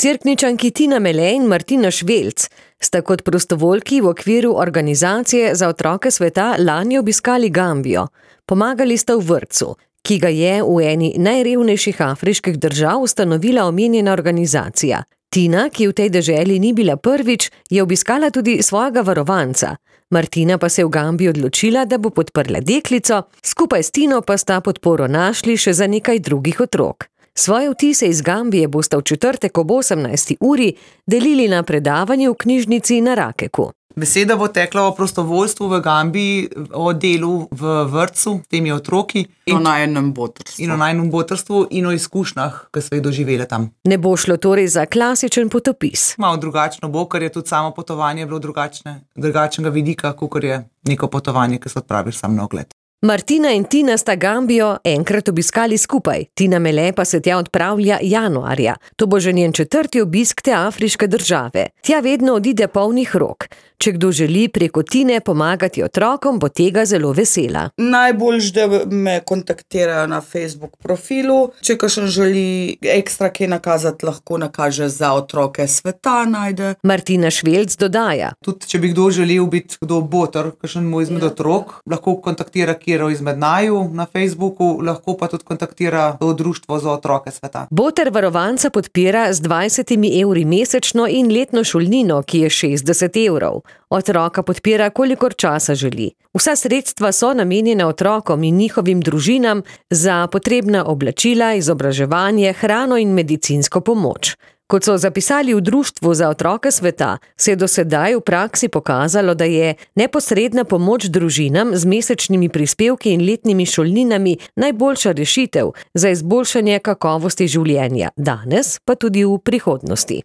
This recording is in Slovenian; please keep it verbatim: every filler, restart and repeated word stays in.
Cerkničanki Tina Mele in Martina Švelc sta kot prostovoljki v okviru Organizacije za otroke sveta lani obiskali Gambijo. Pomagali sta v vrtcu, ki ga je v eni najrevnejših afriških držav ustanovila omenjena organizacija. Tina, ki v tej deželi ni bila prvič, je obiskala tudi svojega varovanca. Martina pa se je v Gambiji odločila, da bo podprla deklico, skupaj s Tino pa sta podporo našli še za nekaj drugih otrok. Svoje vtise iz Gambije bosta v četrtek ob osemnajsti uri delili na predavanju v knjižnici na Rakeku. Beseda bo tekla o prostovoljstvu v Gambiji, o delu v vrtcu, temi otroki. In o najnem botrstvu. In o najnem botrstvu in o izkušnjah, ki so jih doživele tam. Ne bo šlo torej za klasičen potopis. Malo drugačno bo, ker je tudi samo potovanje bilo drugačne, drugačnega vidika, kakor je neko potovanje, ki se odpraviš sam na ogled. Martina in Tina sta Gambijo enkrat obiskali skupaj, Tina Mele pa se tja odpravlja januarja. To bo že njen četrti obisk te afriške države. Tja vedno odide polnih rok. Če kdo želi preko Tine pomagati otrokom, bo tega zelo vesela. Najboljš, da me kontaktirajo na Facebook profilu. Če kakšen želi ekstra kaj nakazati, lahko nakaže za otroke sveta, najde. Martina Švelc dodaja. Tudi, če bi kdo želel biti kdo boter, kakšen mu izmed ja. otrok, lahko kontaktira kjero izmed naju na Facebooku, lahko pa tudi kontaktira to društvo za otroke sveta. Boter varovanca podpira z dvajsetimi evri mesečno in letno šolnino, ki je šestdeset evrov. Otroka podpira, kolikor časa želi. Vsa sredstva so namenjena otrokom in njihovim družinam za potrebna oblačila, izobraževanje, hrano in medicinsko pomoč. Kot so zapisali v Društvu za otroke sveta, se je do sedaj v praksi pokazalo, da je neposredna pomoč družinam z mesečnimi prispevki in letnimi šolninami najboljša rešitev za izboljšanje kakovosti življenja, danes pa tudi v prihodnosti.